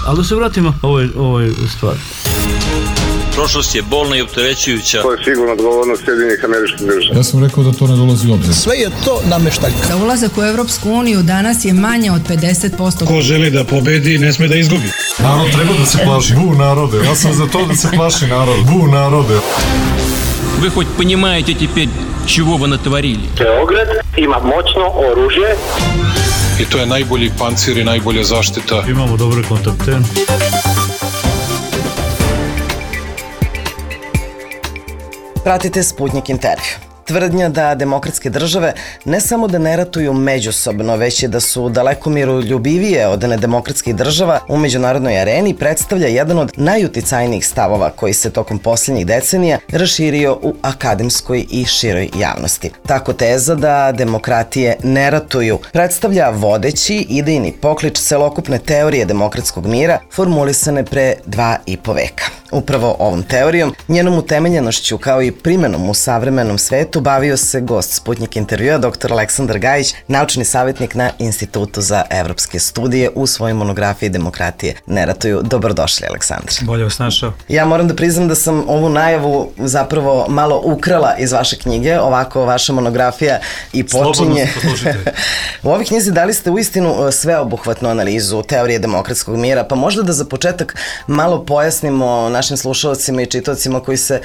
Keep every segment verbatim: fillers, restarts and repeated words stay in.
Ali da se vratimo ovoj, ovoj stvari. Prošlost je bolna i opterećujuća. To je sigurno odgovornost Sjedinjenih Američkih Država. Ja sam rekao da to ne dolazi u obzir. Sve je to nameštaljka. Za ulazak u Evropsku uniju danas je manje od pedeset posto. Ko želi da pobedi, ne sme da izgubi. Narod treba da se plaši. Bu narode. Ja sam za to da se plaši narod. Bu narode. Вы хоть понимаете теперь, чего вы натворили? Beograd ima moćno oružje. I to je najbolji pancir i najbolja zaštita. Imamo dobre kontakte. Pratite Sputnik intervju. Tvrdnja da demokratske države ne samo da ne ratuju međusobno, već je da su daleko miroljubivije od nedemokratskih država u međunarodnoj areni predstavlja jedan od najuticajnijih stavova koji se tokom posljednjih decenija raširio u akademskoj i široj javnosti. Tako teza da demokratije ne ratuju predstavlja vodeći idejni poklič celokupne teorije demokratskog mira formulisane pre dva i po veka. Upravo ovom teorijom, njenom utemeljenošću kao i primenom u savremenom svetu bavio se gost Sputnik intervjua doktor Aleksandar Gajić, naučni savjetnik na Institutu za evropske studije u svojoj monografiji Demokratije ne ratuju. Dobrodošli, Aleksandar. Bolje vas našao. Ja moram da priznam da sam ovu najavu zapravo malo ukrala iz vaše knjige, ovako vaša monografija i počinje. Slobodno se poslušajte. U ovoj knjizi dali ste uistinu sveobuhvatnu analizu teorije demokratskog mira, pa možda da za početak malo pojasnimo našim slušalcima i čitaocima koji se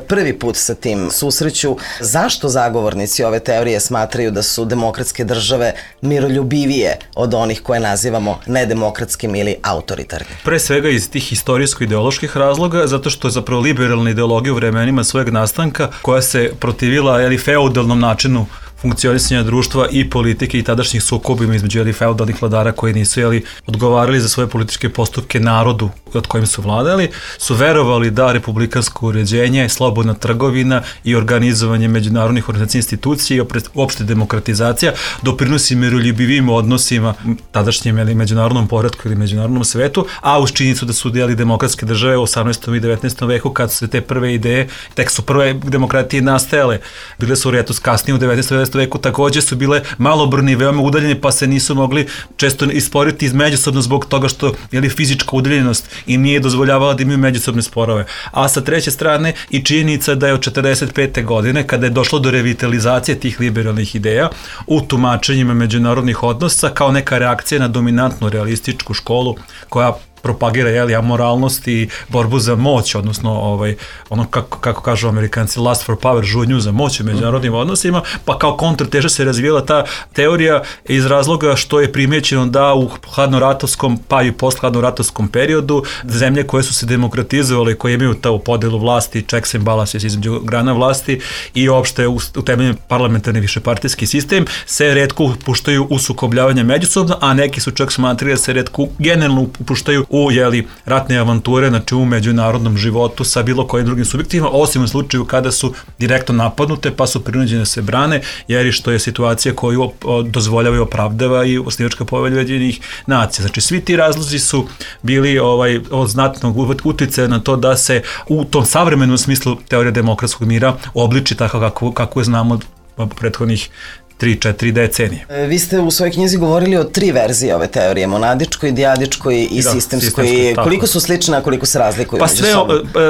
prvi put sa tim susreću, zašto zagovornici ove teorije smatraju da su demokratske države miroljubivije od onih koje nazivamo nedemokratskim ili autoritarnim? Pre svega iz tih istorijsko-ideoloških razloga, zato što je zapravo liberalna ideologija u vremenima svojeg nastanka koja se protivila jeli, feudalnom načinu funkcionisanja društva i politike i tadašnjih sukobima između jeli, feudalnih vladara koji nisu jeli, odgovarali za svoje političke postupke narodu od kojim su vladali, su verovali da republikansko uređenje, slobodna trgovina i organizovanje međunarodnih organizacijskih institucija i uopšte demokratizacija doprinosi miroljubivim odnosima tadašnjem jeli, međunarodnom poretku ili međunarodnom svetu, a uz činjenicu da su dijeli demokratske države u osamnaestom i devetnaestom veku kad su te prve ideje, tek su prve demokratije nastajale, bile su retus kasnije u devetnaestom veku takođe su bile malobrojne i veoma udaljene, pa se nisu mogli često isporiti međusobno zbog toga što je fizička udaljenost i nije dozvoljavala da imaju međusobne sporove. A sa treće strane i činjenica da je od četrdeset pete godine, kada je došlo do revitalizacije tih liberalnih ideja u tumačenjima međunarodnih odnosa kao neka reakcija na dominantnu realističku školu koja propagira jeli, amoralnost i borbu za moć, odnosno ovaj, ono kako, kako kažu Amerikanci, lust for power, žudnju za moć u međunarodnim odnosima, pa kao kontrateža se razvijela ta teorija iz razloga što je primećeno da u hladnoratovskom, pa i posthladnoratovskom periodu zemlje koje su se demokratizovale, koje imaju ta podelu vlasti, checks and balances između grana vlasti i uopšte utemeljen parlamentarni višepartijski sistem, se retko upuštaju u sukobljavanje međusobno, a neki su čak smatrali da se retko generalno upuštaju u jeli, ratne avanture, znači u međunarodnom životu sa bilo kojim drugim subjektima, osim u slučaju kada su direktno napadnute pa su prinuđene da se brane, jer što je situacija koju dozvoljava i opravdava i osnivačka povelja Ujedinjenih nacija. Znači svi ti razlozi su bili ovaj, od znatnog uticaja na to da se u tom savremenom smislu teorija demokratskog mira obliči tako kako, kako je znamo od prethodnih tri četiri decenije. Vi ste u svojoj knjizi govorili o tri verzije ove teorije, monadičkoj, dijadičkoj i da, sistemskoj. sistemskoj koliko su slične, a koliko se razlikuju? Pa sve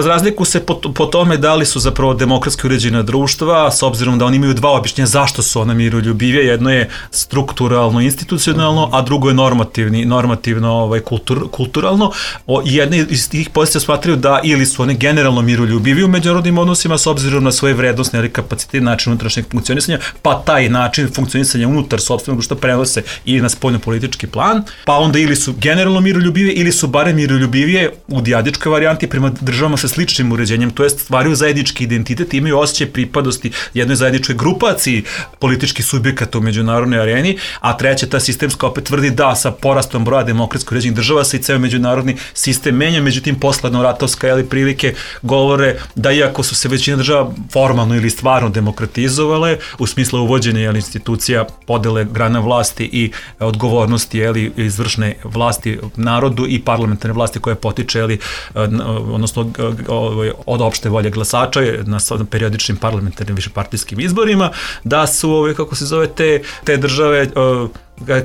razlikuju se po, po tome da li su zapravo demokratski uređena društva, s obzirom da oni imaju dva objašnjenja zašto su ona miroljubivije. Jedno je strukturalno, institucionalno, a drugo je normativni, normativno ovaj, kultur, kulturalno. O, jedne iz tih pozicija smatraju da ili su one generalno miroljubivije u međunarodnim odnosima s obzirom na svoje vrednostne ili kapacitete, način unutrašnjeg funkcionisanja, pa taj način funkcionisanja unutar sopstvenog društva prenose i na spoljnopolitički plan, pa onda ili su generalno miroljubivije ili su barem miroljubivije u dijadičkoj varijanti prema državama sa sličnim uređenjem, to jest stvaraju zajednički identitet i imaju osjećaj pripadnosti jednoj zajedničkoj grupaciji političkih subjekata u međunarodnoj areni, a treća ta sistemska opet tvrdi da sa porastom broja demokratsko uređenih država se i ceo međunarodni sistem menja, međutim posledno-ratovska jeli, prilike govore da iako su se većina država formalno ili stvarno demokratizovale u smislu uvođenja jeli, institucija podele grana vlasti i odgovornosti jeli, izvršne vlasti narodu i parlamentarne vlasti koje potiče jeli, odnosno od opšte volje glasača na periodičnim parlamentarnim višepartijskim izborima, da su, kako se zove, te, te države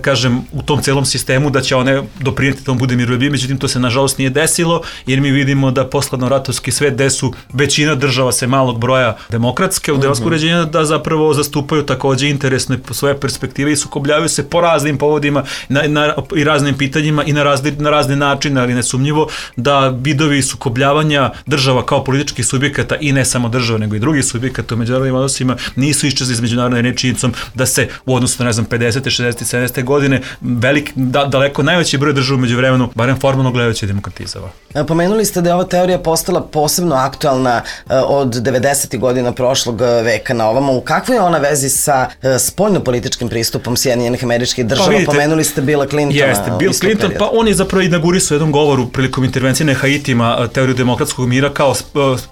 kažem, u tom celom sistemu da će one doprinijeti da on bude miroljubiv, međutim to se nažalost nije desilo, jer mi vidimo da posledno-ratovski svet, gde su većina država se malog broja demokratske, u demokratsko uređenja, da zapravo zastupaju takođe interesne svoje perspektive i sukobljavaju se po raznim povodima na, na, i raznim pitanjima i na, razni, na razne načine, ali nesumnjivo da vidovi sukobljavanja država kao političkih subjekata i ne samo država, nego i drugih subjekata u međunarodnim odnosima nisu iščezli iz međunarodne rečenicom da se u odnosu na, ne znam, pedesete, šezdesete, sedamdesete godine velik, da, daleko najveći broj država umeđu vremenu, barem formalno gledajući, demokratizava. Pomenuli ste da je ova teorija postala posebno aktualna od devedesetih godina prošlog veka na ovamo. U kakvoj je ona vezi sa spoljnopolitičkim pristupom Sjedinjenih Američkih Država? Pa vidite, pomenuli ste Billa Clintona. Jeste, Bill Clinton, periodu. Pa on je zapravo inaugurisao u jednom govoru prilikom intervencije na Haitima teoriju demokratskog mira kao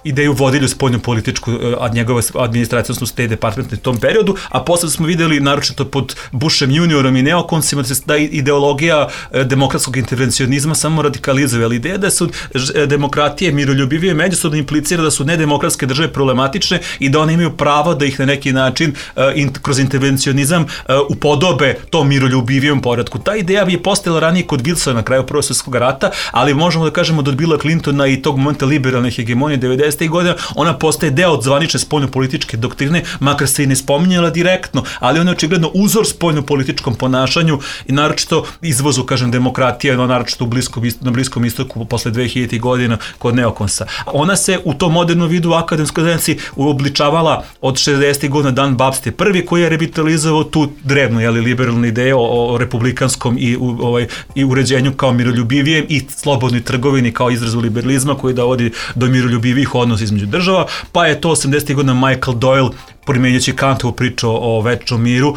ideju vodilju spoljnopolitičku od njegove administracije, odnosno State Department u tom periodu, a posle smo videli, naročito pod Bushem juniorom i neokonsima, da ideologija demokratskog intervencionizma samo radikalizuje, ali ideja da su demokratije miroljubivije međusobno implicira da su nedemokratske države problematične i da one imaju pravo da ih na neki način in, kroz intervencionizam upodobe tom miroljubivijem poredku. Ta ideja bi je postojala ranije kod Wilsona na kraju Prvog svjetskog rata, ali možemo da kažemo da od Billa Clintona i tog momenta liberalne hegemonije devedesetih godina ona postaje deo od zvanične spoljnopolitičke doktrine, makar se i ne spominjala direktno, ali ona je očigledno uzor spoljnopolitičkom ponašanju i naročito izvozu, kažem, demokratije, no, naročito u bliskom, na Bliskom istoku posle dve hiljaditih godina kod neokonsa. Ona se u tom modernom vidu u akademskoj zajednici uobličavala od šezdesetih godina. Dan Babst je prvi koji je revitalizovao tu drevnu, jeli, liberalnu ideju o, o republikanskom i, u, ovaj, i uređenju kao miroljubivijem i slobodnoj trgovini kao izrazu liberalizma koji dovodi do miroljubivih odnosa između država, pa je to osamdesetih godina Michael Doyle primjenjujući Kantovu priču o večnom miru,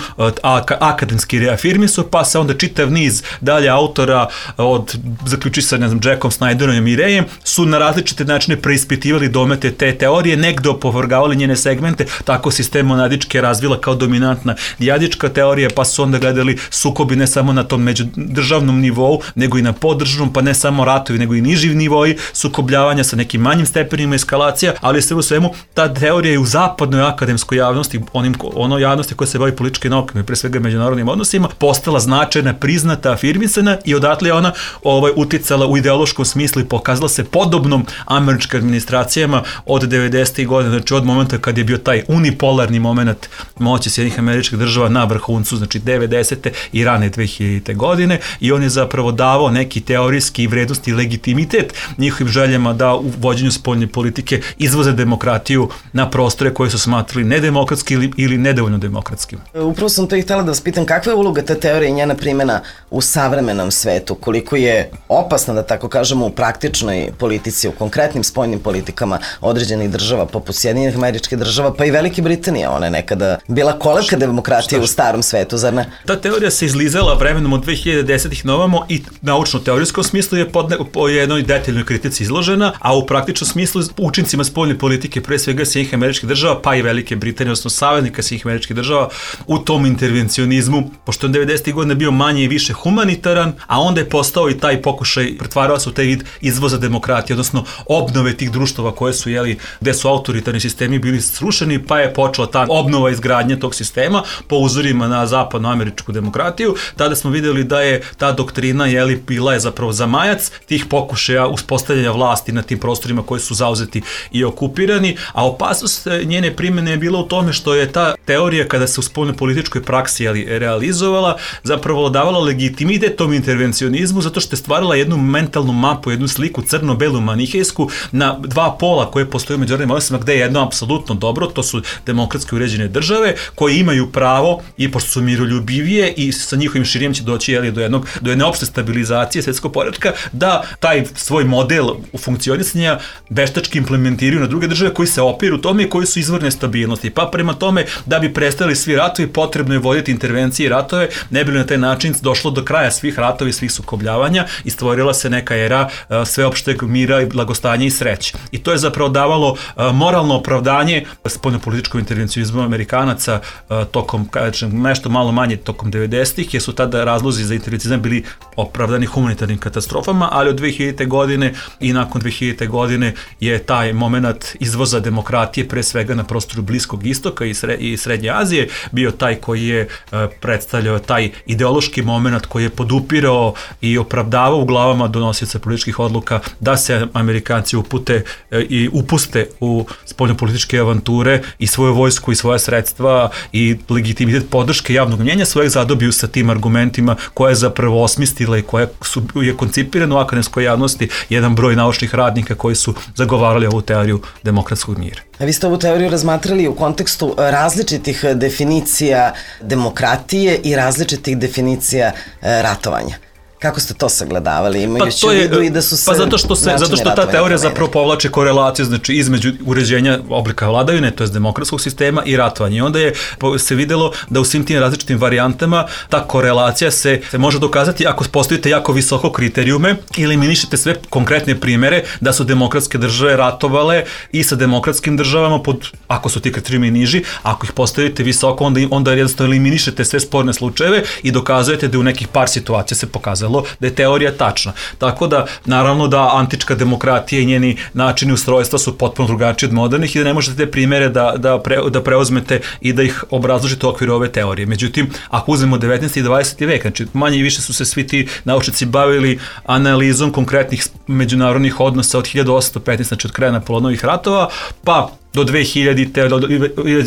akademski reafirmisao, pa se onda čitav niz dalje autora, od zaključi sa, ne znam, Jackom Snyderom i Mirejem, su na različite načine preispitivali domete te teorije, negde opovrgavali njene segmente, tako sistem monadičke razvila kao dominantna dijadička teorija, pa su onda gledali sukobi ne samo na tom međudržavnom nivou, nego i na podržavnom, pa ne samo ratovi, nego i niži nivoji sukobljavanja sa nekim manjim stepenima eskalacija, ali sve u svemu ta teorija je u zapadnoj akademskoj javnosti, onim, ono javnosti koja se bavi političkim naukama i pre svega međunarodnim odnosima, postala značajna, priznata, afirmisana i odatle je ona ovaj, uticala u ideološkom smislu i pokazala se podobnom američkim administracijama od devedesetih godina, znači od momenta kad je bio taj unipolarni moment moći Sjedinjenih Američkih Država na vrhuncu, znači devedesete i rane dve hiljadite godine, i on je zapravo davao neki teorijski vrednosti i legitimitet njihovim željama da u vođenju spoljne politike izvoze demokratiju na prostore koje su smatrali nedemokratski ili, ili nedovoljno demokratskim. Upravo sam to i htjela da vas pitam, kakva je uloga te teorije i njena primjena u savremenom svetu, koliko je opasna, da tako kažemo, u praktičnoj politici, u konkretnim spoljnim politikama određenih država, poput Sjedinjenih Američkih Država, pa i Velike Britanije, ona je nekada bila kolevka demokratije u starom svetu, zar ne? Ta teorija se izlizala vremenom od dve hiljade desetih na ovamo i naučno-teorijskom smislu je pod, ne, po jednoj detaljnoj kritici izložena, a u praktičnom smislu učincima spoljne politike, pre svega Sjedinjenih Američkih Država, pa i Velike Britanije, odnosno saveznika Sjedinjenih Američkih Država u tom intervencionizmu, pošto je devedesetih godina bio manje i više humanitaran, a onda je postao i taj pokušaj, pretvarao se u taj vid izvoza demokratije, odnosno obnove tih društava koje su, jeli, gde su autoritarni sistemi bili srušeni, pa je počela ta obnova izgradnje tog sistema po uzorima na zapadnoameričku demokratiju. Tada smo videli da je ta doktrina, jeli, bila je zapravo zamajac tih pokušaja uspostavljanja vlasti na tim prostorima koji su zauzeti i okupirani, a opasnost njene primjene je bila u tome što je ta teorija, kada se u spoljnopolitičkoj praksi, jeli, realizovala, zapravo davala legitimitet tom intervencionizmu, zato što je stvarala jednu mentalnu mapu, jednu sliku crno-belu manihejsku na dva pola koje postoje u međunarodnim odnosima, gde je jedno apsolutno dobro, to su demokratski uređene države koje imaju pravo, i pošto su miroljubivije i sa njihovim širenjem će doći, jeli, do jednog do jedne opšte stabilizacije svjetskog poretka, da taj svoj model u funkcionisanja veštački implementiraju na druge države koji se opiru tome i koji su izvorne stabilnosti. Pa prema tome, da bi prestali svi ratovi, potrebno je voditi intervencije i ratove, ne bi li na taj način došlo do kraja svih ratova i svih sukobljavanja i stvorila se neka era uh, sveopšteg mira i blagostanja i sreće. I to je zapravo davalo uh, moralno opravdanje spoljnopolitičkom intervencionizmu Amerikanaca uh, tokom, kažem, nešto malo manje tokom devedesetih, jer su tada razlozi za intervencionizam bili opravdani humanitarnim katastrofama, ali od dve hiljadite godine i nakon dve hiljadite godine je taj moment izvoza demokratije pre svega na prostoru Bliskog Bliskog istoka i, sre, i Srednje Azije, bio taj koji je uh, predstavljao taj ideološki moment koji je podupirao i opravdavao u glavama donosioca političkih odluka da se Amerikanci upute uh, i upuste u spoljnopolitičke avanture i svoju vojsku i svoja sredstva i legitimitet podrške javnog mnjenja svojeg zadobiju sa tim argumentima koja je zapravo osmislila i koja su, je koncipirana u akademskoj javnosti jedan broj naučnih radnika koji su zagovarali ovu teoriju demokratskog mira. A vi ste ovu teoriju razmatrali u kontekstu različitih definicija demokratije i različitih definicija ratovanja. Kako ste to sagledavali, imajući pa u vidu i da su se... Pa zato što, se, zato što ta teorija zapravo povlače korelaciju, znači između uređenja oblika vladavine, to je demokratskog sistema i ratovanja. I onda je se videlo da u svim tim različitim varijantama ta korelacija se, se može dokazati ako postavite jako visoko kriterijume ili eliminišete sve konkretne primere da su demokratske države ratovale i sa demokratskim državama, pod, ako su ti kriterijumi niži, ako ih postavite visoko, onda, onda jednostavno eliminišete sve sporne slučajeve i dokazujete da u nekih par situacija se pokazalo da je teorija tačna. Tako da, naravno da antička demokratija i njeni načini ustrojstva su potpuno drugačiji od modernih i da ne možete te primere da, da, pre, da preuzmete i da ih obrazložite u okviru ove teorije. Međutim, ako uzmemo devetnaesti i dvadeseti vek, znači manje i više su se svi ti naučnici bavili analizom konkretnih međunarodnih odnosa od hiljadu osamsto petnaeste, znači od kraja Napoleonovih ratova, pa do dve hiljadite,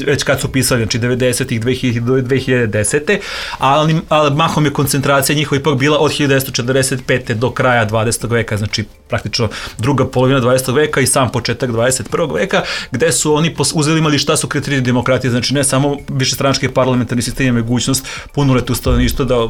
već kad su pisali, znači devedesetih, dve hiljadite do dve hiljade desete. ali, ali mahom je koncentracija njihova ipak bila od hiljadu devetsto četrdeset pete do kraja dvadesetog veka, znači praktično druga polovina dvadesetog veka i sam početak dvadeset prvog veka, gde su oni uzeli imali šta su kriteriji demokratije, znači ne samo višestranački parlamentarni sistem i mogućnost punoletnog stanovništva da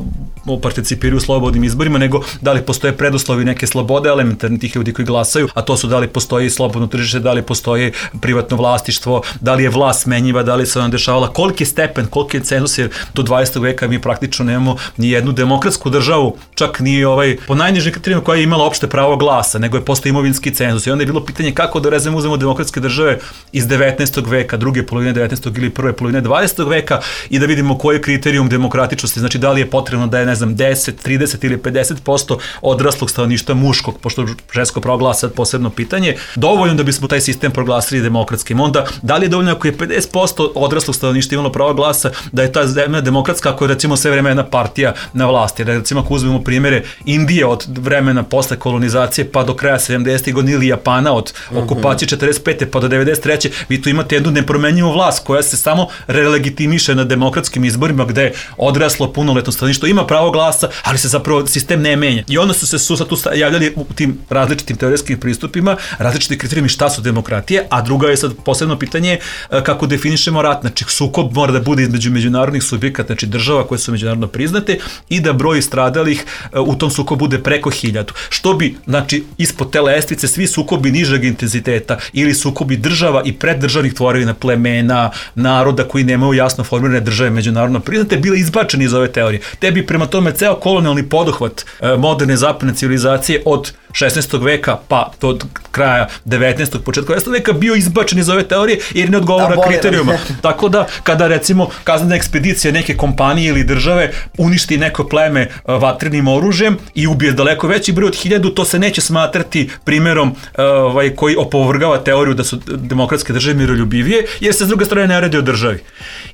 participiraju u slobodnim izborima, nego da li postoje preduslovi neke slobode elementarni tih ljudi koji glasaju, a to su da li postoji slobodno tržište, da li postoji privatno vlastištvo, da li je vlast smenjiva, da li se ona dešavala, koliki je stepen, koliki je cenzus, jer do dvadesetog veka mi praktično nemamo ni jednu demokratsku državu, čak ni ovaj, po najnižim kriterijima koja je imala opšte pravo glasa, nego je postoji imovinski cenzus. I onda je bilo pitanje kako da rezemo uzmemo demokratske države iz devetnaestog veka, druge polovine devetnaestog ili prve polovine dvadesetog veka i da vidimo koji je kriterijum demokratičnosti, znači da li je potrebno da je, ne znam, deset, trideset ili pedeset posto odraslog stanovništva muškog, pošto žensko pravo glasa je posebno pitanje, dovoljno da bismo taj sistem proglasili demokratskim. Onda, da li je dovoljno ako je pedeset posto odraslog stanovništva imalo pravo glasa da je ta zemlja demokratska ako je recimo sve vreme jedna partija na vlasti. Recimo ako uzmemo primjere Indije od vremena posle kolonizacije pa do kraja sedamdesetih godina ili Japana od okupacije četrdeset pete pa do devedeset treće vi tu imate jednu nepromenjivu vlast koja se samo relegitimiše na demokratskim izborima gde odraslo punoletno stanovništvo ima pravo glasa, ali se zapravo sistem ne menja. I onda su se su tu javljali u tim različitim teorijskim pristupima, različiti kriterijumi šta su demokratije, a druga je sad posebno pitanje kako definišemo rat. Znači, sukob mora da bude između međunarodnih subjekata, znači država koje su međunarodno priznate i da broj stradalih u tom sukobu bude preko hiljadu. Što bi, znači, ispod te lestvice svi sukobi nižeg intenziteta ili sukobi država i preddržavnih tvorevina, plemena, naroda koji nemaju jasno formirane države međunarodno priznate, bile izbačeni iz ove teorije. Te bi prema tome ceo kolonijalni poduhvat moderne zapadne civilizacije od šesnaestog veka pa do kraja devetnaestog početka dvadesetog veka bio izbačen iz ove teorije jer ne odgovara kriterijuma. Tako da kada recimo kaznena ekspedicija neke kompanije ili države uništi neko pleme vatrenim oružjem i ubije daleko veći broj od hiljadu, to se neće smatrati primjerom ovaj, koji opovrgava teoriju da su demokratske države miroljubivije, jer se s druge strane ne radi o državi.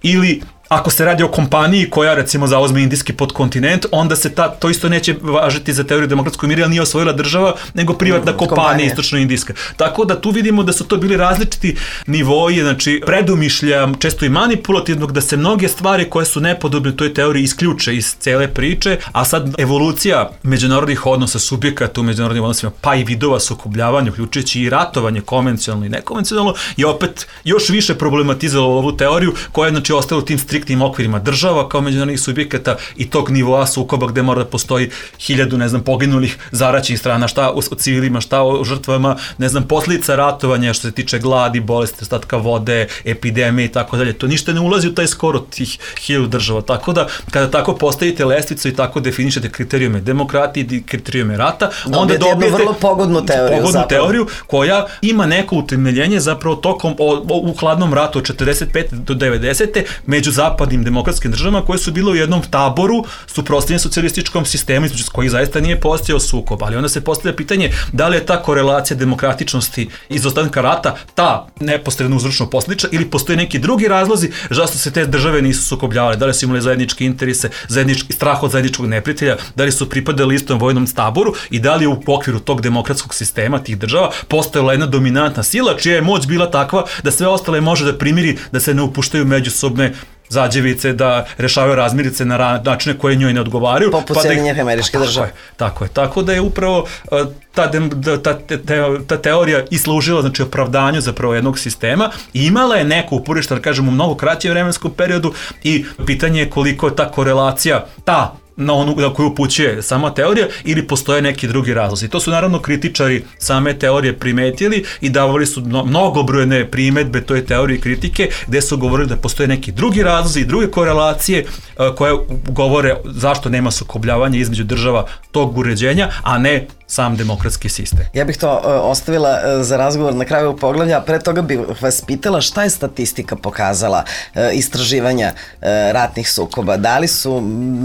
Ili ako se radi o kompaniji koja recimo zauzme indijski podkontinent, onda se ta, to isto neće važiti za teoriju demokratskog mira, jer nije osvojila država, nego privatna kompanija istočno-indijska. Tako da tu vidimo da su to bili različiti nivoji, znači predumišlja, često i manipulativnog, da se mnoge stvari koje su nepodobne toj teoriji isključe iz cele priče, a sad evolucija međunarodnih odnosa subjekata u međunarodnim odnosima, pa i vidova sukobljavanja, uključujući i ratovanje konvencionalno i nekonvencionalno, je opet još više problematizovalo ovu teoriju koja je znači ostala u tim striktnim okvirima država kao međunarodnih subjekata i tog nivoa sukoba gde mora da postoji hiljadu, ne znam, poginulih zaraćenih strana, šta o civilima, šta o žrtvama, ne znam, posljedica ratovanja što se tiče gladi, bolesti, ostatka vode, epidemije i tako dalje. To ništa ne ulazi u taj skor od tih hiljadu država. Tako da, kada tako postavite lestvicu i tako definišete kriterijume demokratije i kriterijume rata, onda dobijete vrlo pogodnu teoriju, pogodnu teoriju koja ima neko utemeljenje zapravo tokom o, o, u hladnom ratu od četrdeset pete do devedesete među zapadnim demokratskim državama koje su bile u jednom taboru suprotstavljene socijalističkom sistemu između kojih zaista nije postojao sukob, ali onda se postavlja pitanje da li je ta korelacija demokratičnosti izostanka rata ta neposredno uzročno posljedična ili postoje neki drugi razlozi zašto se te države nisu sukobljavale, da li su imali zajedničke interese, zajednički strah od zajedničkog neprijatelja, da li su pripadali istom vojnom taboru i da li je u okviru tog demokratskog sistema tih država postojala jedna dominantna sila čija je moć bila takva da sve ostale može da primiri, da se ne upuštaju međusobne zađevice, da rešavaju razmirice na načine koje njoj ne odgovaraju. Poput pa Sjedinjenih Američkih Država. Tako je, tako da je upravo ta, ta, ta, ta teorija i služila, znači, opravdanju zapravo jednog sistema i imala je neko uporište, da kažemo, u mnogo kraćem vremenskom periodu i pitanje je koliko je ta korelacija, ta na onu na koju upućuje sama teorija ili postoje neki drugi razlozi. To su naravno kritičari same teorije primetili i davali su mnogobrojne primedbe toj teoriji kritike gde su govorili da postoje neki drugi razlozi i druge korelacije koje govore zašto nema sukobljavanja između država tog uređenja, a ne sam demokratski sistem. Ja bih to uh, ostavila uh, za razgovor na kraju poglavlja, a pre toga bih vas pitala šta je statistika pokazala uh, istraživanja uh, ratnih sukoba. Da li su,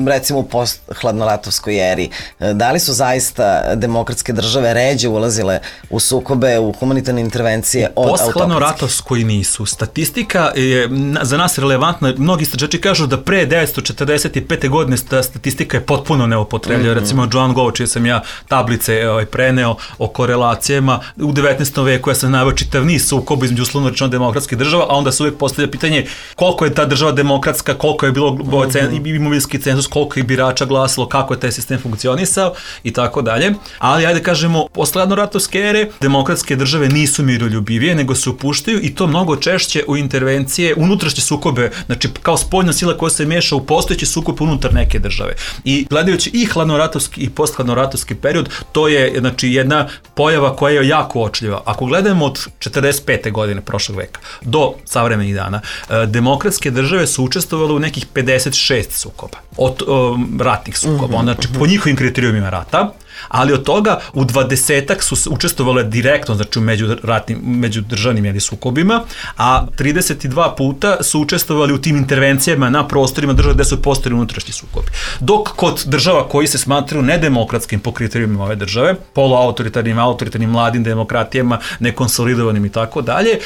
recimo u post-hladnoratovskoj eri, uh, da li su zaista demokratske države ređe ulazile u sukobe, u humanitarne intervencije od autokratskih? Post-hladnoratovskoj nisu. Statistika je za nas relevantna. Mnogi istraživači kažu da pre devetsto četrdeset pete godine ta statistika je potpuno neupotrebljiva. Mm-hmm. Recimo Joan Gow, čije sam ja tablice ovaj, preneo o korelacijama u devetnaestom veku, ja sam naveo čitav niz sukoba između uslovno rečeno demokratskih država, a onda se uvijek postavlja pitanje koliko je ta država demokratska, koliko je bilo mm-hmm. imovinski cenzus, koliko je birača glasilo, kako je taj sistem funkcionisao i tako dalje. Ali ajde kažemo, posle hladnoratovske ere demokratske države nisu miroljubivije, nego se upuštaju i to mnogo češće u intervencije, unutrašnje sukobe, znači kao spoljna sila koja se miješa u postojeći sukob unutar neke države. I gledajući i hladnoratovski i posthladnoratovski period, to je znači jedna pojava koja je jako uočljiva. Ako gledamo od četrdeset pete godine prošlog veka do savremenih dana, demokratske države su učestvovale u nekih pedeset šest sukoba, od um, ratnih sukoba, mm-hmm. znači po njihovim kriterijumima rata, ali od toga u dvadesetak su učestvovale direktno, znači u međuratnim, međudržavnim jeli, sukobima, a trideset dva puta su učestvovali u tim intervencijama na prostorima država gde su postojali unutrašnji sukobi. Dok kod država koji se smatraju nedemokratskim po kriterijumima ove države, poluautoritarnim, autoritarnim, mladim demokratijama, nekonsolidovanim i tako dalje,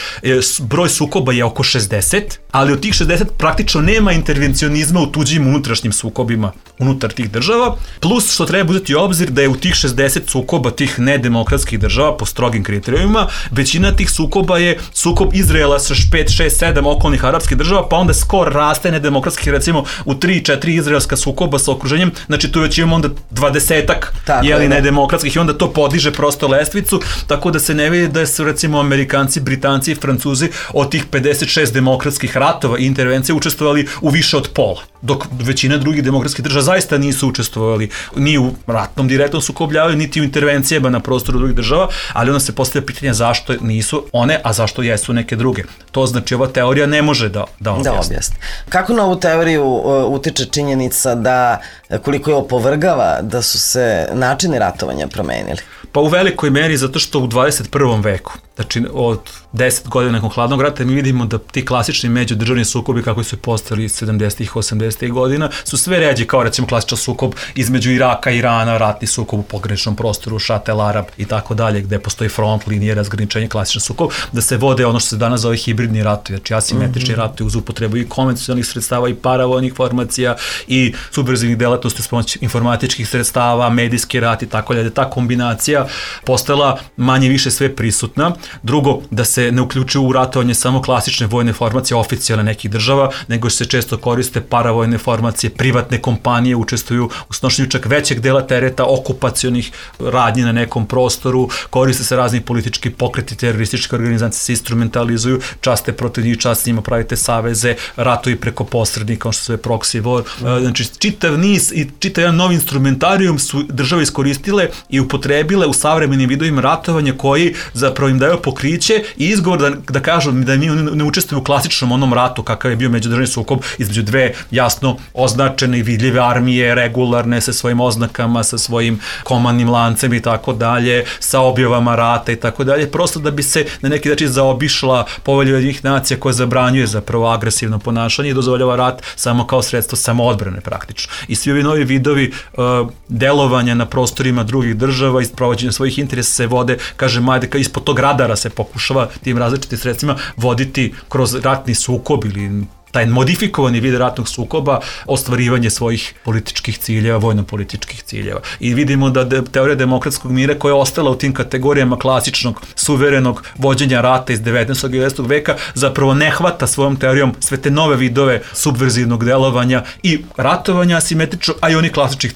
broj sukoba je oko šezdeset, ali od tih šezdeset praktično nema intervencionizma u tuđim unutrašnjim sukobima unutar tih država, plus što treba uzeti u obzir da je u tih šezdeset sukoba tih nedemokratskih država po strogim kriterijumima, većina tih sukoba je sukob Izraela sa pet, šest, sedam okolnih arapskih država, pa onda skor raste nedemokratskih, recimo u tri četiri izraelska sukoba sa okruženjem, znači tu već imamo onda dvadesetak jeli nedemokratskih i onda to podiže prosto lestvicu, tako da se ne vidi da su recimo Amerikanci, Britanci i Francuzi od tih pedeset šest demokratskih ratova i intervencije učestvovali u više od pola, dok većina drugih demokratskih država zaista nisu učestvovali ni u ratnom direktnom sukobljavaju, niti u intervencijama na prostoru drugih država, ali onda se postavlja pitanje zašto nisu one, a zašto jesu neke druge. To znači ova teorija ne može da, da objasni. Da objasni. Kako na ovu teoriju uh, utiče činjenica da koliko je opovrgava da su se načini ratovanja promenili? Pa u velikoj meri zato što u dvadeset prvom veku, znači od deset godina nakon hladnog rata, mi vidimo da ti klasični međudržavni sukobi kako su postali sedamdesetih, osamdesetih godina su sve ređi, kao recimo klasičan sukob između Iraka i Irana, ratni sukob u pograničnom prostoru, Šatel Arab i tako dalje, gde postoji front, linije, razgraničenje, klasičan sukob, da se vode ono što se danas zove hibridni ratovi, znači asimetrični mm-hmm. ratovi uz upotrebu i konvencionalnih sredstava i paravojnih formacija i subverzivnih delatnosti s pomoć informatičkih sredstava, medijski rat i tako dalje, ta kombinacija postala manje više sve prisutna. Drugo, da se ne uključuju u ratovanje samo klasične vojne formacije oficijalne nekih država, nego se često koriste paravojne formacije, privatne kompanije učestvuju u snošenju čak većeg dela tereta okupacionih radnji na nekom prostoru, koriste se razni politički pokreti, terorističke organizacije se instrumentalizuju, časte protiv njih, čast s njima pravite saveze, ratovi preko posrednika, kao što se je proxy war. Znači, čitav niz i čitav jedan novi instrumentarijum su države iskoristile i upotrebile u savremenim vidovima ratovanja koji zapravo im daju daju pokriće i izgovor da, da kažu da mi ne učestvuju u klasičnom onom ratu kakav je bio međudržavni sukob između dve jasno označene i vidljive armije, regularne sa svojim oznakama, sa svojim komandnim lancem i tako dalje, sa objavama rata i tako dalje, prosto da bi se na neki način zaobišla Povelja Ujedinjenih nacija koja zabranjuje zapravo agresivno ponašanje i dozvoljava rat samo kao sredstvo samoodbrane praktično. I svi ovi novi vidovi uh, delovanja na prostorima drugih država i sprovođenja svojih interesa se vode, kažem, ajde, ispod tog radara se pokušava tim različitim sredstvima voditi kroz ratni sukob ili taj modifikovani vid ratnog sukoba, ostvarivanje svojih političkih ciljeva, vojno-političkih ciljeva. I vidimo da de, teorija demokratskog mira koja je ostala u tim kategorijama klasičnog, suverenog vođenja rata iz devetnaestog i dvadesetog veka zapravo ne hvata svojom teorijom sve te nove vidove subverzivnog delovanja i ratovanja asimetrično, a i onih klasičnih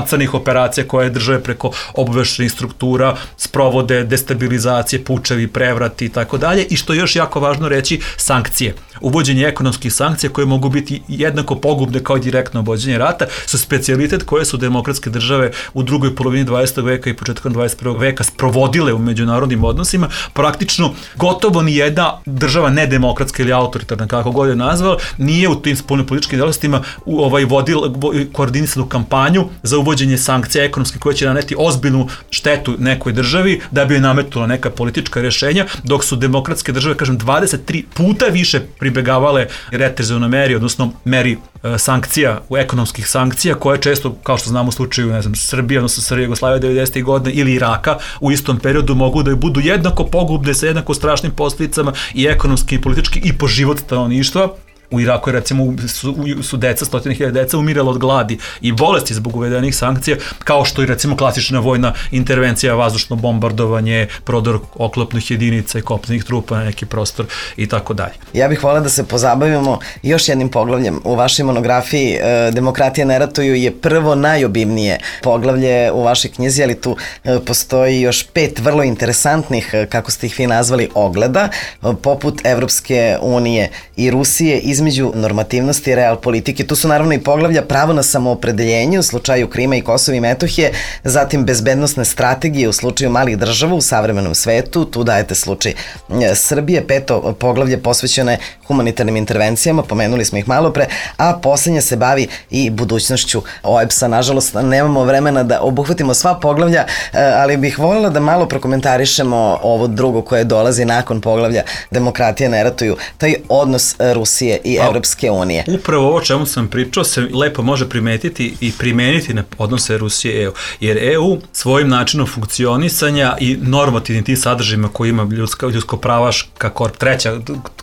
crnih operacija koje države preko obaveštajnih struktura sprovode, destabilizacije, pučevi, prevrati i tako dalje. I što je još jako važno reći, sankcije. Uvođenje ekonomskih sankcija koje mogu biti jednako pogubne kao i direktno vođenje rata su specijalitet koje su demokratske države u drugoj polovini dvadesetog veka i početkom dvadeset prvog veka sprovodile u međunarodnim odnosima. Praktično gotovo ni jedna država nedemokratska ili autoritarna, kako god je nazvala, nije u tim spoljnopolitičkim delatnostima ovaj, vodila koordinisanu kampanju za uvođenje sankcija ekonomskih koje će naneti ozbiljnu štetu nekoj državi da bi joj nametnula neka politička rješenja, dok su demokratske države, kažem, dvadeset tri puta više pribegavale reterzivnoj meri, odnosno meri e, sankcija, u ekonomskih sankcija, koje često, kao što znamo u slučaju, ne znam, Srbije, odnosno Srbije, Jugoslavije devedesetih godina ili Iraka, u istom periodu mogu da budu jednako pogubne sa jednako strašnim posljedicama i ekonomski i politički i po život stanovništva. U Iraku je recimo su, su deca, stotine hiljada deca umirala od gladi i bolesti zbog uvedenih sankcija, kao što i recimo klasična vojna intervencija, vazdušno bombardovanje, prodor oklopnih jedinica i kopnenih trupa na neki prostor i tako dalje. Ja bih volila da se pozabavimo još jednim poglavljem. U vašoj monografiji e, Demokratija ne ratuju je prvo najobimnije poglavlje u vašoj knjizi, ali tu e, postoji još pet vrlo interesantnih, e, kako ste ih vi nazvali, ogleda, e, poput Evropske unije i Rusije, između normativnosti i real politike. Tu su naravno i poglavlja pravo na samoopredeljenje u slučaju Krima i Kosova i Metohije, zatim bezbednosne strategije u slučaju malih država u savremenom svetu, tu dajete slučaj Srbije, peto poglavlje posvećeno je humanitarnim intervencijama, pomenuli smo ih malo pre, a poslednje se bavi i budućnošću O E B S-a. Nažalost, nemamo vremena da obuhvatimo sva poglavlja, ali bih voljela da malo prokomentarišemo ovo drugo koje dolazi nakon poglavlja Demokratija ne ratuju, taj odnos Rusije i Evropske unije. Upravo ovo čemu sam pričao se lepo može primetiti i primeniti na odnose Rusije i E U. Jer E U svojim načinom funkcionisanja i normativnim tim sadržajima koji ima ljudska, ljudsko pravaška korp, treća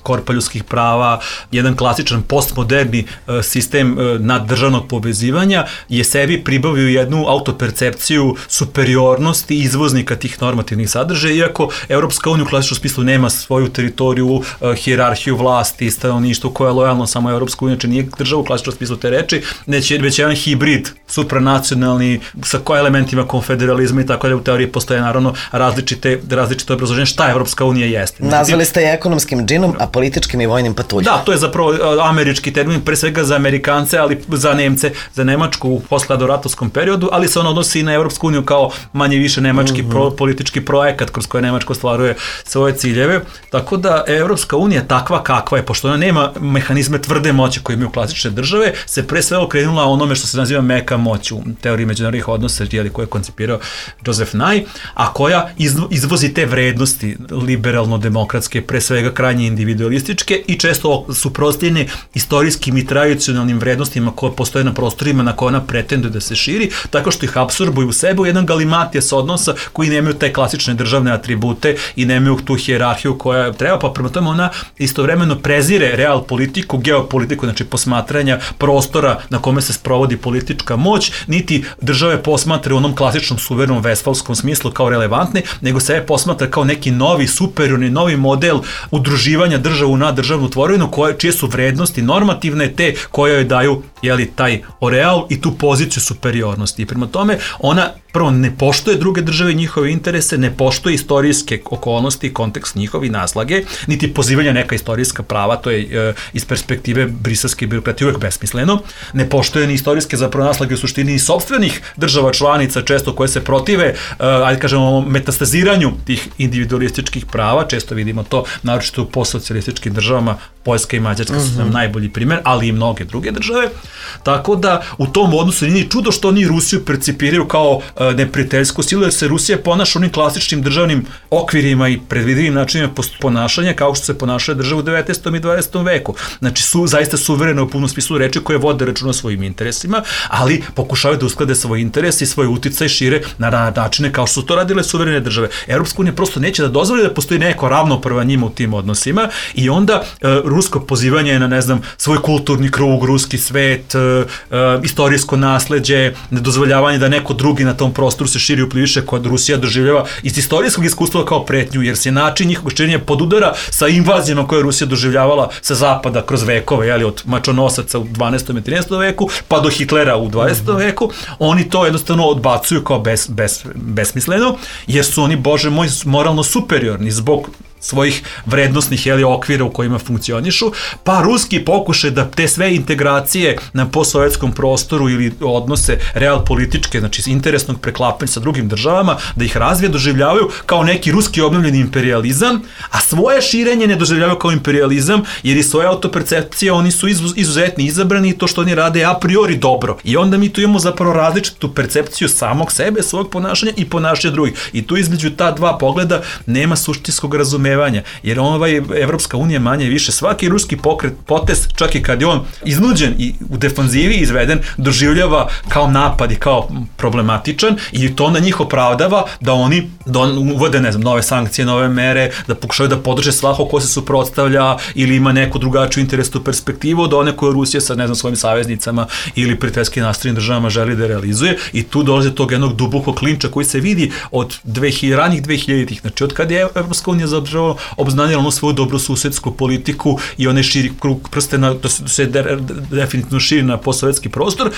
korpa ljudskih prava, jedan klasičan postmoderni uh, sistem uh, naddržavnog povezivanja je sebi pribavio jednu autopercepciju superiornosti izvoznika tih normativnih sadržaja, iako Evropska unija u klasičnom smislu nema svoju teritoriju, uh, hijerarhiju vlasti, stanovništvo koja je lojalno samo Evropsku uniju, znači nije država u klasičnom smislu te reči, već je već jedan hibrid supranacionalni sa koja elementima konfederalizma i tako da u teoriji postoje naravno različite, različite obrazloženje šta Evropska unija jeste. Nazvali ste je ekonomskim džinom, a političkim i vojnim patuljom. Da, to je zapravo američki termin, pre svega za Amerikance, ali za Nemce, za Nemačku u posthladnoratovskom periodu, ali se on odnosi i na Evropsku uniju kao manje više nemački mm-hmm. pro, politički projekat kroz koje Nemačka ostvaruje svoje ciljeve. Tako da Evropska unija takva kakva je, pošto ona nema mehanizme tvrde moći koje imaju klasične države, se pre sve okrenula onome što se naziva meka moć u teoriji međunarodnih odnosa, koje je koncipirao Joseph Nye, a koja izvozi te vrednosti liberalno-demokratske, pre svega krajnje individualističke i često suprotstavljene istorijskim i tradicionalnim vrednostima koje postoje na prostorima na koje ona pretenduje da se širi, tako što ih apsorbuju u sebe u jedan galimatijas odnosa koji nemaju te klasične državne atribute i nemaju tu hijerarhiju koja treba, pa prema tome ona istovremeno prezire real politiku, geopolitiku, znači posmatranja prostora na kome se sprovodi politička moć, niti države posmatra u onom klasičnom suverenom vestfalskom smislu kao relevantne, nego se posmatra kao neki novi, superiorni, novi model udruživanja državu na državnu tvorevinu, koje, čije su vrednosti normativne, te koje joj daju jeli, taj oreal i tu poziciju superiornosti. I prema tome, ona prvo ne poštuje druge države i njihove interese, ne poštuje istorijske okolnosti i kontekst njihovi naslage, niti pozivanja neka istorijska prava, to je e, iz perspektive briselske birokratije uvek besmisleno, ne poštuje ni istorijske zapravo naslage u suštini i sopstvenih država članica, često koje se protive, e, ajde kažemo, metastaziranju tih individualističkih prava, često vidimo to, naročito u postsocijalističkim državama, Poljska i Mađarska su nam najbolji primer, ali i mnoge druge države, tako da u tom odnosu nije čudo što oni Rusiju percipiraju kao e, neprijateljsku silu, jer se Rusija ponaša onim klasičnim državnim okvirima i predvidivim načinima ponašanja kao što se ponašaju države u devetnaestom i dvadesetom veku. Znači su zaista suverene u punom smislu reči koje vode računa o svojim interesima, ali pokušavaju da usklade svoj interes i svoj uticaj šire na načine kao što su to radile suverene države. Europska unija prosto neće da dozvoli da postoji neko ravnopravan njima u tim odnosima i onda e, rusko pozivanje na, ne znam, svoj kulturni krug, ruski svet, e, e, istorijsko nasleđe, nedozvoljavanje da neko drugi na tom prostoru se širi upliviše kod Rusija doživljava iz istorijskog iskustva kao pretnju, jer se način njihovog širenja podudara sa invazijama koje je Rusija doživljavala sa zapada kroz vekove, jeli, od mačonosaca u dvanaestom i trinaestom veku, pa do Hitlera u dvadesetom veku, oni to jednostavno odbacuju kao bes, bes, besmisleno, jer su oni, bože moj, moralno superiorni zbog svojih vrednostnih jeli, okvira u kojima funkcionišu, pa ruski pokušaj da te sve integracije na postsovjetskom prostoru ili odnose real političke, znači interesnog preklapanja sa drugim državama, da ih razvije doživljavaju kao neki ruski obnovljeni imperializam, a svoje širenje ne doživljavaju kao imperializam, jer i svoje autopercepcije oni su izuzetni izabrani i to što oni rade a priori dobro. I onda mi tu imamo zapravo različitu percepciju samog sebe, svog ponašanja i ponašanja drugih. I tu između ta dva pogleda nema suštinskog razumevanja, jer ovaj Evropska unija manje i više svaki ruski pokret, potez, čak i kad je on iznuđen i u defanzivi izveden, doživljava kao napad i kao problematičan i to na njih opravdava da oni uvode, ne znam, nove sankcije, nove mere, da pokušaju da podrže svako ko se suprotstavlja ili ima neku drugačiju interesnu perspektivu od one koje Rusija sa, ne znam, svojim saveznicama ili prijateljski nastrojenim državama želi da realizuje i tu dolazi do tog jednog dubokog klinča koji se vidi od ranih dvehiljaditih, znači od kada je Evropska unija zapravo obznanila onu svoju dobrosusedsku politiku i onaj širi krug prstena, to se, se de, definitivno širi na postsovjetski prostor,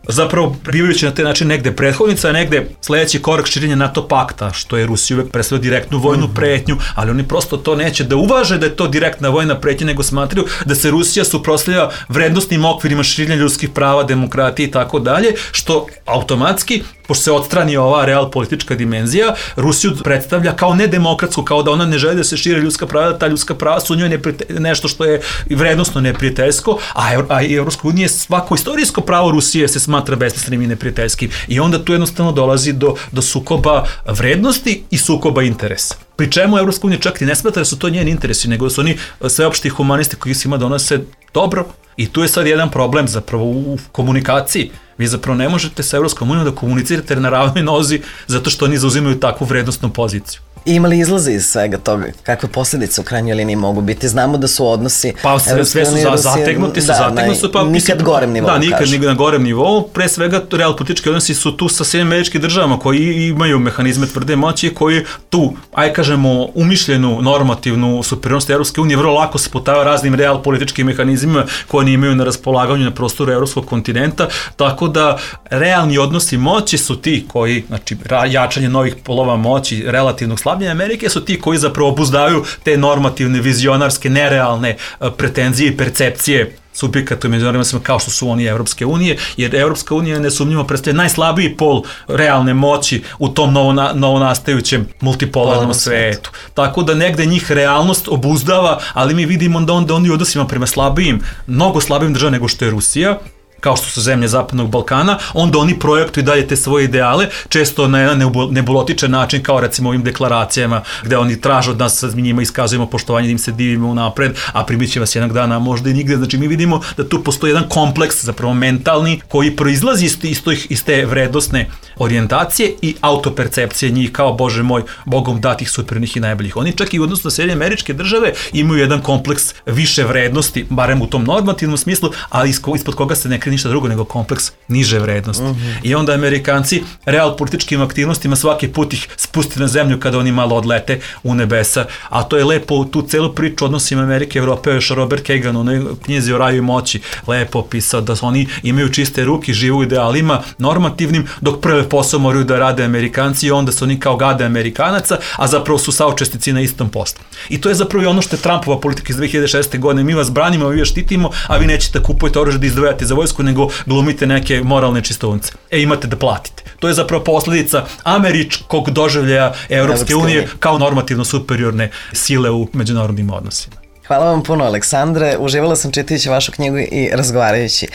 zapravo bivajući na taj način negde prethodnica, negde sledeći korak širenja NATO pakta, što je Rusija uvek predstavlja direktnu vojnu pretnju, ali oni prosto to neće da uvaže da je to direktna vojna pretnja, nego smatraju da se Rusija suprotstavlja vrednostnim okvirima širenja ljudskih prava, demokratije i tako dalje, što automatski, pošto se odstrani ova real politička dimenzija, Rusiju predstavlja kao nedemokratsku, kao da ona ne želi da se šire ljudska prava, da ta ljudska prava su u njoj nešto što je vrednostno neprijateljsko, a, a i Evropska unija svako istorijsko pravo Rusije se smatra besmislenim i neprijateljskim. I onda tu jednostavno dolazi do, do sukoba vrednosti i sukoba interesa. Pri čemu Evropska unija čak i ne smatra da su to njeni interesi, nego da su oni sveopšti humanisti koji svima donose dobro. I tu je sad jedan problem zapravo u komunikaciji. Vi zapravo ne možete sa Evropskom unijom da komunicirate na ravnoj nozi zato što oni zauzimaju takvu vrednostnu poziciju. I ima li izlaze iz svega toga? Kakve posljedice u krajnjoj liniji mogu biti? Znamo da su odnosi... Pa sve, sve su za, zategnuti, su da, zategnuti su, pa... Nikad gorem nivou, da, nikad kažu. Na gorem nivou. Pre svega, real politički odnosi su tu sa Sjedinjenim Američkim Državama koji imaju mehanizme tvrde moći, koji tu, aj kažemo, umišljenu normativnu superiornost Evropske unije vrlo lako sputava raznim real političkim mehanizmima koje oni imaju na raspolaganju na prostoru evropskog kontinenta, tako da realni odnosi moći su ti koji, znači, jačanje novih polova moći, relativnog slabljenja Amerike su ti koji zapravo obuzdavaju te normativne, vizionarske, nerealne pretenzije i percepcije subjekata u međunarodnim kao što su oni Evropske unije, jer Evropska unija nesumnjivo predstavlja najslabiji pol realne moći u tom novona, novonastajućem multipolarnom svetu. Tako da negde njih realnost obuzdava, ali mi vidimo da onda oni odnosima prema slabijim, mnogo slabijim država nego što je Rusija, kao što su zemlje Zapadnog Balkana, onda oni projektuju dalje te svoje ideale, često na jedan nebulotičan način, kao recimo ovim deklaracijama, gde oni traže od nas, mi njima iskazujemo poštovanje, da im se divimo unapred, a primit će vas jednog dana, možda i nigde. Znači mi vidimo da tu postoji jedan kompleks, zapravo mentalni, koji proizlazi iz, iz, iz te vrednostne orijentacije i autopercepcije njih kao, bože moj, Bogom datih supernih i najboljih. Oni čak i u odnosu na Sjedinjene Američke Države imaju jedan kompleks više vrednosti, barem u tom normativnom smislu, ali ispod koga se ne krije ništa drugo nego kompleks niže vrednosti. Mhm. I onda Amerikanci real političkim aktivnostima svaki put ih spusti na zemlju kada oni malo odlete u nebesa, a to je lepo tu celu priču odnosima Amerike i Evrope, još Robert Kagan u onoj knjizi o raju i moći lepo opisao da oni imaju čiste ruke, živu idealima normativnim, dok prve posao moraju da rade Amerikanci i onda su oni kao gade Amerikanaca, a zapravo su saučesnici na istom poslu. I to je zapravo i ono što je Trumpova politika iz dve hiljade šeste. godine. Mi vas branimo, mi vas štitimo, a vi nećete kupujete oružje da izdvajate za vojsku, nego glumite neke moralne čistunce. E, imate da platite. To je zapravo posledica američkog doživljaja Evropske unije kao normativno superiorne sile u međunarodnim odnosima. Hvala vam puno, Aleksandre. Uživala sam čitajući vašu knjigu i razgovarajući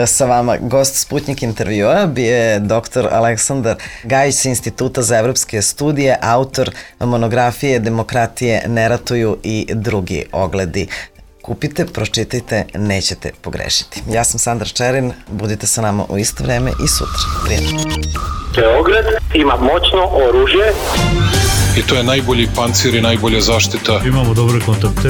sa vama. Gost Sputnik intervjua bio je doktor Aleksandar Gajić sa Instituta za evropske studije, autor monografije Demokratije ne ratuju i drugi ogledi. Kupite, pročitajte, nećete pogrešiti. Ja sam Sandra Čerin, budite sa nama u isto vreme i sutra. Prijatno. Beograd ima moćno oružje I to je najbolji pancir i najbolja zaštita. Imamo dobre kontakte.